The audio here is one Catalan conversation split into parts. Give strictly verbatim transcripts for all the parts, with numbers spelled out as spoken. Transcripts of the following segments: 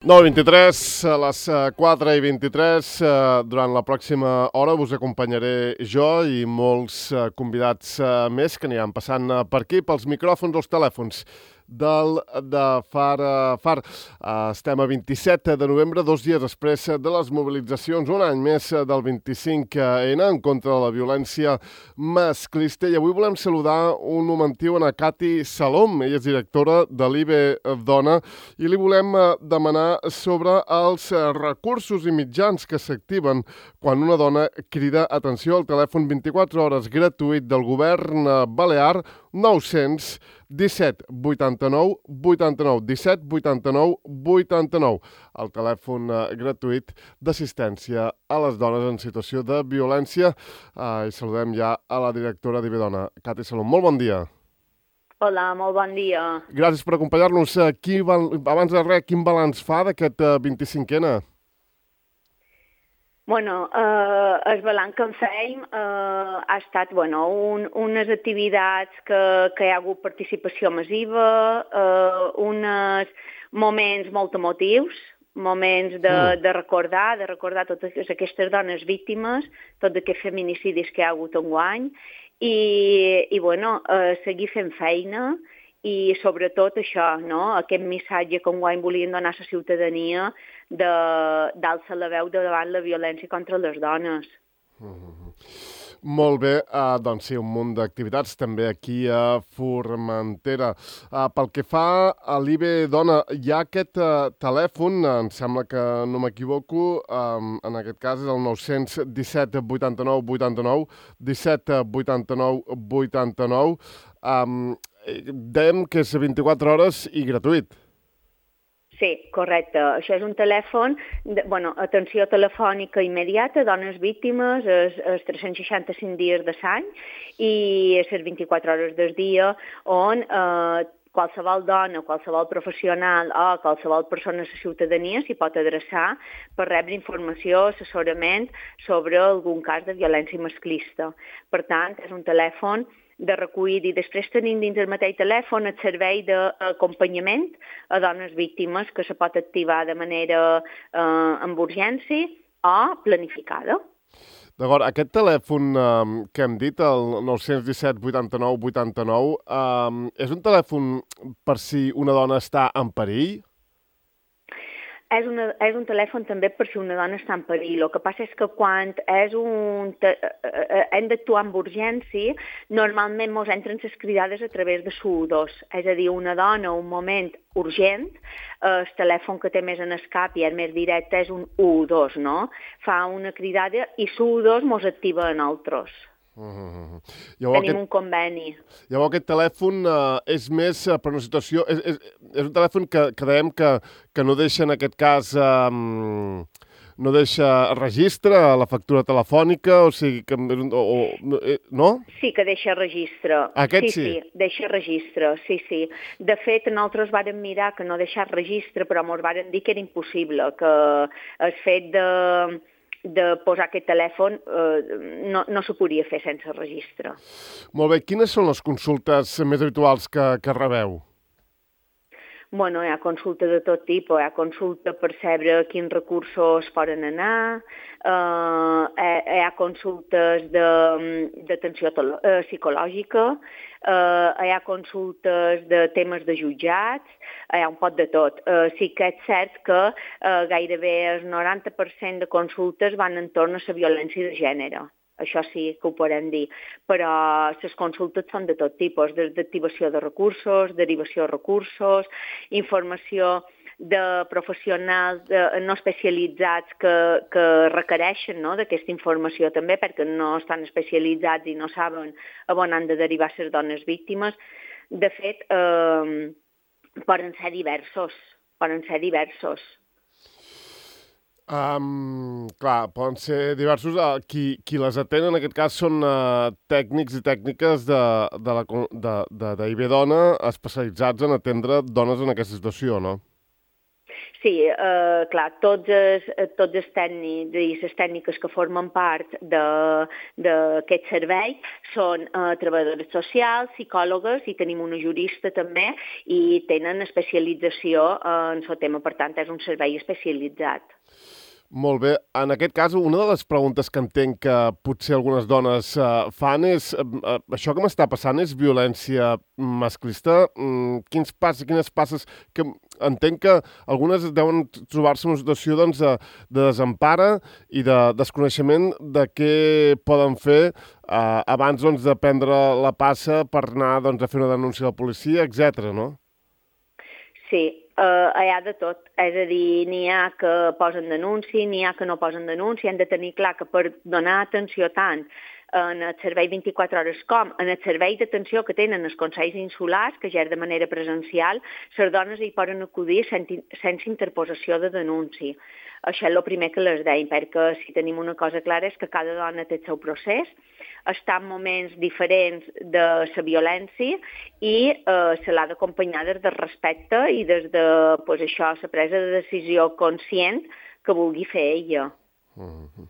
nou i vint-i-tres, a les quatre i vint-i-tres, durant la pròxima hora us acompanyaré jo i molts convidats més que aniran passant per aquí, pels micròfons o els telèfons del de Far Far. Estem a vint-i-set de novembre, dos dies després de les mobilitzacions, un any més del vint-i-cinc ena en contra de la violència masclista. I avui volem saludar un momentiu a Cati Salom, ella és directora de l'I B Dona, i li volem demanar sobre els recursos i mitjans que s'activen quan una dona crida atenció al telèfon vint-i-quatre hores gratuït del govern balear nou-cents disset vuitanta-nou vuitanta-nou, disset vuitanta-nou vuitanta-nou, el telèfon gratuït d'assistència a les dones en situació de violència. Uh, I saludem ja a la directora d'I B Dona, Cati Salom. Molt bon dia. Hola, molt bon dia. Gràcies per acompanyar-nos. Qui, abans de res, quin balanç fa d'aquest vint-i-cinc ena? Bueno, eh, el balanç que en fèiem eh, ha estat bueno, un, unes activitats que, que hi ha hagut participació massiva, eh, uns moments molt emotius, moments de, mm. de recordar, de recordar totes aquestes dones víctimes, tots aquests feminicidis que hi ha hagut enguany, i, i bueno, eh, seguir fent feina, i sobretot això, no? Aquest missatge que enguany volien donar a la ciutadania d'alçar la veu davant la violència contra les dones. Mm-hmm. Molt bé, uh, doncs sí, un munt d'activitats també aquí a Formentera. Uh, pel que fa a l'I B Dona, hi ha aquest uh, telèfon, em sembla que no m'equivoco, um, en aquest cas és el nou-cents disset vuitanta-nou vuitanta-nou, disset vuitanta-nou vuitanta-nou. Um, dèiem que és vint-i-quatre hores i gratuït. Sí, correcte. Això és un telèfon, de, bueno, atenció telefònica immediata, dones víctimes, els, els tres-cents seixanta-cinc dies de l'any i les vint-i-quatre hores del dia, on eh, qualsevol dona, qualsevol professional o qualsevol persona de la ciutadania s'hi pot adreçar per rebre informació, assessorament sobre algun cas de violència masclista. Per tant, és un telèfon de recull i després tenim dins el mateix telèfon el servei d'acompanyament a dones víctimes que se pot activar de manera eh, amb urgència o planificada. D'acord, aquest telèfon eh, que hem dit, el nou-cents disset vuitanta-nou vuitanta-nou, eh, és un telèfon per si una dona està en perill? És, una, és un telèfon també per si una dona està en perill. El que passa és que quan és un te, eh, hem d'actuar amb urgència, normalment ens entren les cridades a través de S U dos. És a dir, una dona, un moment urgent, eh, el telèfon que té més en el cap i és més directe és un u dos, no? Fa una cridada i S U dos ens activa a nosaltres. Uh-huh. Llavors, Tenim aquest, un conveni. Llavors aquest telèfon uh, és més uh, per una situació... És, és, és un telèfon que, que dèiem que, que no deixa en aquest cas... Um, no deixa registre a la factura telefònica, o sigui que... O, o, no? Sí que deixa registre. Aquest sí? Sí, sí, deixa registre, sí, sí. De fet, nosaltres vàrem mirar que no deixar registre, però ens vàrem dir que era impossible, que el fet de... de posar aquest telèfon eh, no, no s'ho podia fer sense registre. Molt bé. Quines són les consultes més habituals que, que rebeu? Bueno, hi ha consulta de tot tipus. Hi ha consulta per saber quins recursos poden anar, eh, hi ha consultes d'atenció eh, psicològica, eh, hi ha consultes de temes de jutjats, hi ha un pot de tot. Eh, sí que és cert que eh, gairebé el noranta per cent de consultes van entorn a la violència de gènere. Això sí que ho podem dir, però les consultes són de tot tipus, des d'activació de recursos, derivació de recursos, informació de professionals de, no especialitzats que, que requereixen, no, d'aquesta informació també, perquè no estan especialitzats i no saben on han de derivar les dones víctimes. De fet, eh, poden ser diversos, poden ser diversos. Um, clar, poden ser diversos. Uh, qui, qui les atén en aquest cas són uh, tècnics i tècniques de, de, la, de, de, d'I B Dona especialitzats en atendre dones en aquesta situació, no? Sí, eh, clar, tots els, tots els tècnics i les tècniques que formen part d'aquest servei són eh, treballadores socials, psicòlogues i tenim una jurista també i tenen especialització en el tema, per tant, és un servei especialitzat. Molt bé. En aquest cas, una de les preguntes que entenc que potser algunes dones uh, fan és uh, això que m'està passant és violència masclista? Mm, quins passes, quines passes... que entenc que algunes deuen trobar-se en una situació doncs, de, de desempara i de desconeixement de què poden fer uh, abans doncs, de prendre la passa per anar doncs, a fer una denúncia a la policia, etcètera, no? Sí, Uh, hi ha de tot, és a dir, n'hi ha que posen denunci, n'hi ha que no posen denunci, hem de tenir clar que per donar atenció tant en el servei vint-i-quatre hores com en el servei d'atenció que tenen els consells insulars, que ja és de manera presencial, les dones hi poden acudir sense, sense interposició de denunci. Això és el primer que les deim, perquè si tenim una cosa clara és que cada dona té el seu procés, està en moments diferents de la violència i eh, se l'ha d'acompanyar des del respecte i des de pues, això, la presa de decisió conscient que vulgui fer ella. Mm-hmm.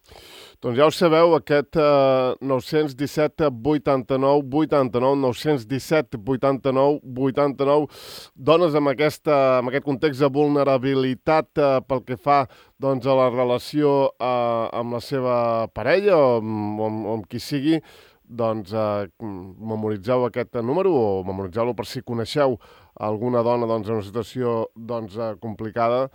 Doncs ja ho sabeu, aquest eh, nou disset vuitanta-nou vuitanta-nou, nou disset vuitanta-nou vuitanta-nou, dones amb, aquesta, amb aquest context de vulnerabilitat eh, pel que fa doncs, a la relació eh, amb la seva parella o amb, o amb, o amb qui sigui, doncs eh, memoritzeu aquest número o memoritzeu-lo per si coneixeu alguna dona doncs, en una situació doncs, eh, complicada,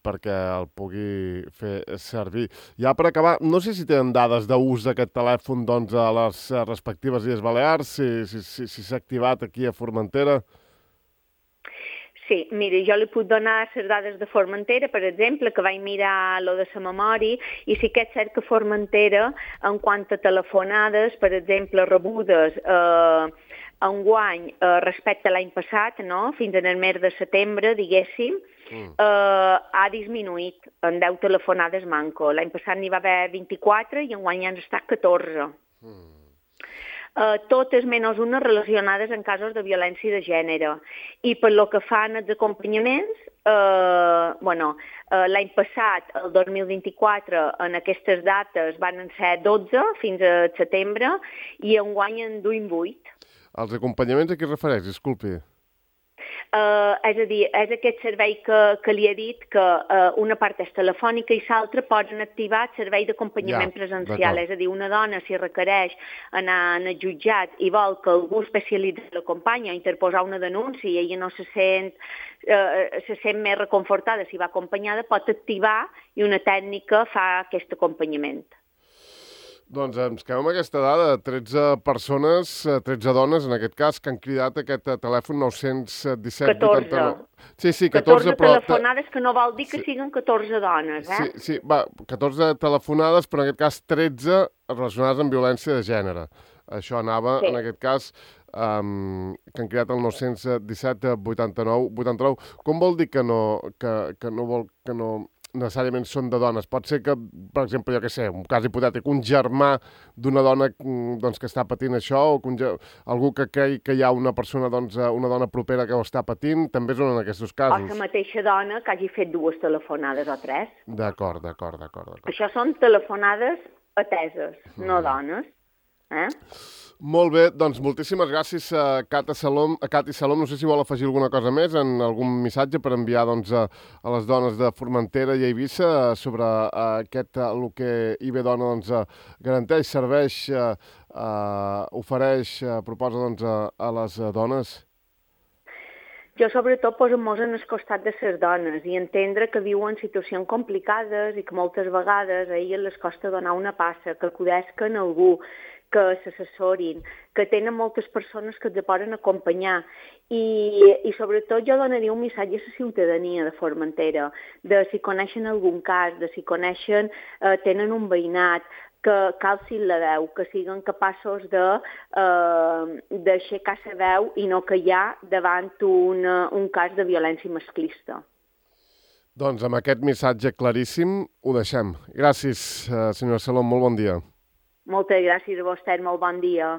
perquè el pugui fer servir. Ja per acabar, no sé si tenen dades d'ús d'aquest telèfon doncs, a les respectives Illes Balears, si s'ha si, si, si activat aquí a Formentera. Sí, mira, jo li puc donar les dades de Formentera, per exemple, que vaig mirar lo de la memòria, i sí que és cert que Formentera, en quant a telefonades, per exemple, rebudes eh, enguany eh, respecte a l'any passat, no? Fins en el mes de setembre, diguéssim, Mm. Uh, ha disminuït en deu telefonades manco. L'any passat n'hi va haver vint-i-quatre i enguany han estat catorze. Mm. Uh, totes menys unes relacionades en casos de violència de gènere. I per lo que fan els acompanyaments, uh, bueno, uh, l'any passat, el dos mil vint-i-quatre, en aquestes dates van ser dotze fins a setembre i enguany en duim vuit. Els acompanyaments a què es refereix? Disculpi. Uh, és a dir, és aquest servei que, que li he dit que uh, una part és telefònica i l'altra poden activar el servei d'acompanyament ja, presencial. És a dir, una dona, si requereix anar al jutjat i vol que algú especialitzat l'acompanya o interposar una denúncia i ella no se sent, uh, se sent més reconfortada si va acompanyada, pot activar i una tècnica fa aquest acompanyament. Doncs ens quedem amb aquesta dada, tretze persones, tretze dones, en aquest cas, que han cridat aquest telèfon nou disset vuitanta-nou. Sí, sí, catorze, catorze telefonades, que no vol dir que sí. Siguin catorze dones, eh? Sí, sí, va, catorze telefonades, però en aquest cas tretze relacionades amb violència de gènere. Això anava, sí. En aquest cas, um, que han cridat el nou disset vuitanta-nou vuitanta-nou. Com vol dir que no, que, que no vol, que no... necessàriament són de dones. Pot ser que, per exemple, jo què sé, un cas hipotètic, un germà d'una dona doncs, que està patint això, o que un, algú que cregui que hi ha una persona, doncs, una dona propera que ho està patint, també són en aquests casos. O la mateixa dona que hagi fet dues telefonades o tres. D'acord, d'acord, d'acord. Això són telefonades ateses, mm. no dones. Eh? Molt bé, doncs moltíssimes gràcies a Cata Salom, a Cati Salom. No sé si vol afegir alguna cosa més en algun missatge per enviar doncs, a, a les dones de Formentera i Eivissa sobre a, aquest, a, el que I B Dona doncs, a, garanteix, serveix, a, a, ofereix, a, proposa doncs, a, a les a dones. Jo sobretot posem-nos en el costat de les dones i entendre que viuen situacions complicades i que moltes vegades a elles les costa donar una passa, que acudesquen a algú, que s'assessorin, que tenen moltes persones que els poden acompanyar i, i sobretot jo donaria un missatge a la ciutadania de Formentera, de si coneixen algun cas, de si coneixen, eh, tenen un veïnat, que calcin la veu, que siguin capaços de eh, d'aixecar la veu i no callar davant un, un cas de violència masclista. Doncs amb aquest missatge claríssim ho deixem. Gràcies, senyora Salom, molt bon dia. Moltes gràcies a vostè, molt bon dia.